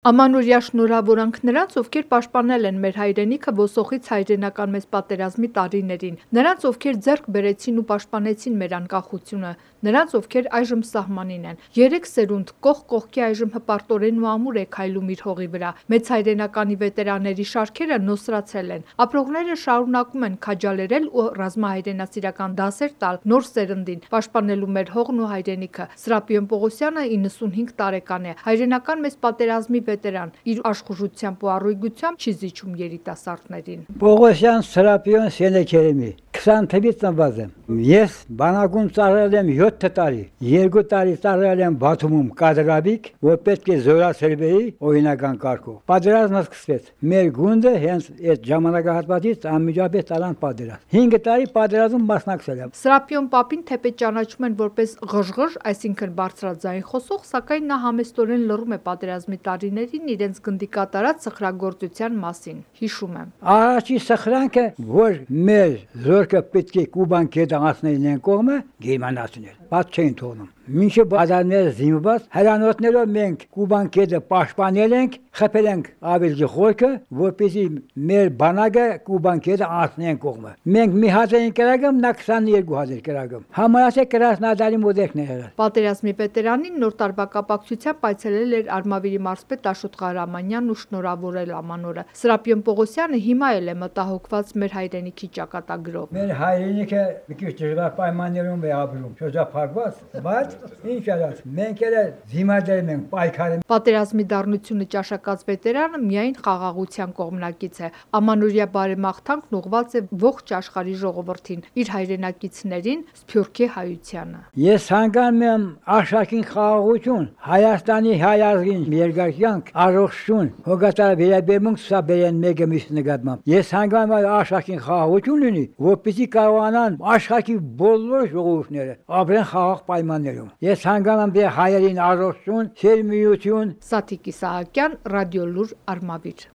Ամանորյա շնորհավորանք նրանց, ովքեր պաշտպանել են մեր հայրենիքը ոսոխից հայրենական մեծ պատերազմի տարիներին, նրանց, ովքեր ձեռք բերեցին ու պաշտպանեցին մեր անկախությունը, նրանց, ովքեր այժմ սահմանին են։ 3 սերունդ կողք կողքի այժմ հպարտորեն ու ամուր է քայլում իր հողի վրա։ Մեծ հայրենականի վետերանների շարքերը նոսրացել են։ Ապրողները շարունակում են քաջալերել ու ռազմահայրենասիրական դասեր տալ նոր սերնդին, պաշտպանելու մեր հողն ու հայրենիքը։ Սրապիոն Պողոսյանը 95 տարեկան է, հայրենական մեծ պատերազմի վետերան, իր աշխուժությամբ ու առույգությամբ չի զիջում երիտասարդներին։ Պողոսյան Սրապիոն Սենեքերեմի 20 թվականից ծնված եմ։ Ես բանակում ծառայել եմ 7 տարի։ 2 տարի ծառայել եմ Բաթումում կադրաբիկ, որ պետք է զորացրվեի օրինական կարգով։ Պատերազմը սկսվեց։ Մեր գունդը հենց այդ ժամանակահատվածից անմիջապես տարան պատերազմ։ 5 տարի պատերազմում մասնակցել եմ։ Սրապիոն պապին թեպետ ճանաչում են որպես ղժղժ, այսինքն բարձրաձայն խոսող, սակայն նա համեստորեն լռում է պատերազմի տարիներին իրենց գնդի կատարած սխրագործության մասին։ Հիշում եմ. Առաջի սխրանքը, որ մեր զորքը պետք է Կուբան կետը անցնեին են կողմը, գերմանացիներ, բաց չէին թողնում։ Մինչև բադարները զինված հրանոթներով մենք Կուբան կետը պաշտպանել ենք, խփել ենք ավելքի խորքը, որպեսզի մեր բանակը Կուբան կետը անցնեն կողմը։ Մենք մի հատ էինք կրակում, նա 22 հատ էր կրակում։ Համարյա Կրասնոդարի մոդելն էր։ Պատերազմի վետերանին նոր տարվա կապակցությամբ այցելել էր Արմավիրի մարզպետ Աշոտ Ղարամանյանն ու շնորհավորել Ամանորը։ Սրապիոն Պողոսյանը հիմա էլ է մտահոգված մեր հայրենիքի ճակատագրով։ Մեր հայրենիքը մի քիչ դժվար պայմաններում է ապրում, շրջափակված, բայց ինչ արած, մենք էլ զիմադերում ենք, պայքարում։ Պատերազմի դառնությունը ճաշակած վետերանը միայն խաղաղության կողմնակից է։ Ամանորյա բարեմաղթանքն ուղղված է ողջ աշխարհի ժողովրդին, իր հայրենակիցներին, Սփյուռքի հայությանը։ Ես հանգամ եմ աշխարհին խաղաղություն, Հայաստանի հայ ազգին երկարքյանք, առողջություն, հոգատար վերաբերմունք ցուցաբերեն մեկը մյուսի նկատմամբ։ Ես հանգամ եմ աշխարհին խաղաղություն լինի, որպեսզի կարողանան աշխարհի բոլոր ժողովուրդները ապրեն խաղաղ պայմաններում։ Ես հանգամ եմ հայերին առողջություն, սերմիություն։ Սաթիկ Իսահակյան, Ռադիոլուր, Արմավիր։